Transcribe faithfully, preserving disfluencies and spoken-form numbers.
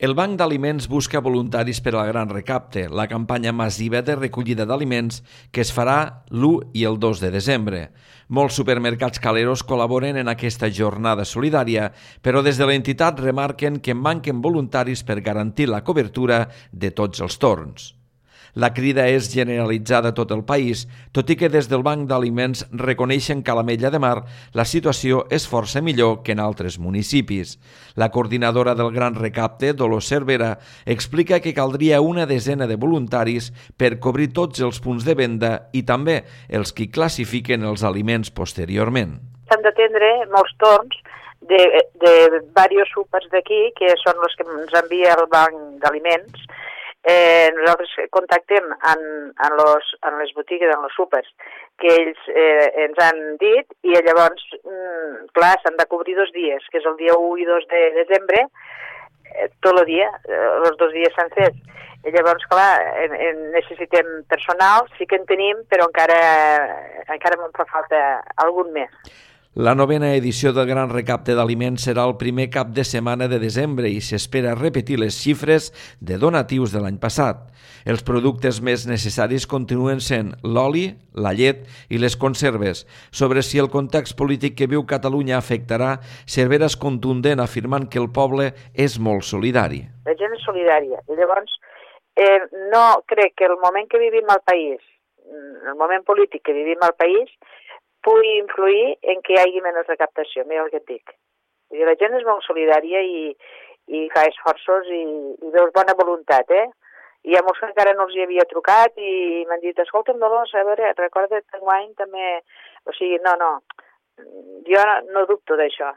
El Banc d'Aliments busca voluntaris per al Gran Recapte, la campanya massiva de recollida d'aliments que es farà l'u i el dos de desembre. Molts supermercats caleros col·laboren en aquesta jornada solidària, però des de l'entitat remarquen que manquen voluntaris per garantir la cobertura de tots els torns. La crida és generalitzada a tot el país, tot i que des del Banc d'Aliments reconeixen que a l'Ametlla de Mar la situació és força millor que en altres municipis. La coordinadora del Gran Recapte, Dolors Cervera, explica que caldria una desena de voluntaris per cobrir tots els punts de venda i també els que classifiquen els aliments posteriorment. S'han d'atendre molts torns de, de diversos súpers d'aquí, que són els que ens envia el Banc d'Aliments. Eh, nosaltres contactem en, en, los, en les botigues, en els súpers, que ells eh, ens han dit, i llavors, mm, clar, s'han de cobrir dos dies, que és el dia u i dos de desembre, eh, tot el dia, eh, els dos dies s'han fet. I llavors, clar, en, en necessitem personal, sí que en tenim, però encara, encara em fa falta algun més. La novena edició del Gran Recapte d'Aliments serà el primer cap de setmana de desembre i s'espera repetir les xifres de donatius de l'any passat. Els productes més necessaris continuen sent l'oli, la llet i les conserves. Sobre si el context polític que viu Catalunya afectarà, Cervera és contundent afirmant que el poble és molt solidari. La gent és solidària i llavors eh, no crec que el moment que vivim al país, el moment polític que vivim al país, pugui influir en que hi hagi menys recaptació, mira el que et dic. La gent és molt solidària i, i fa esforços i, i veus bona voluntat, eh? I hi ha molts que encara no els hi havia trucat i m'han dit, escolta'm, Dolors, a veure, recorda't que enguany també... O sigui, no, no, jo no, no dubto d'això.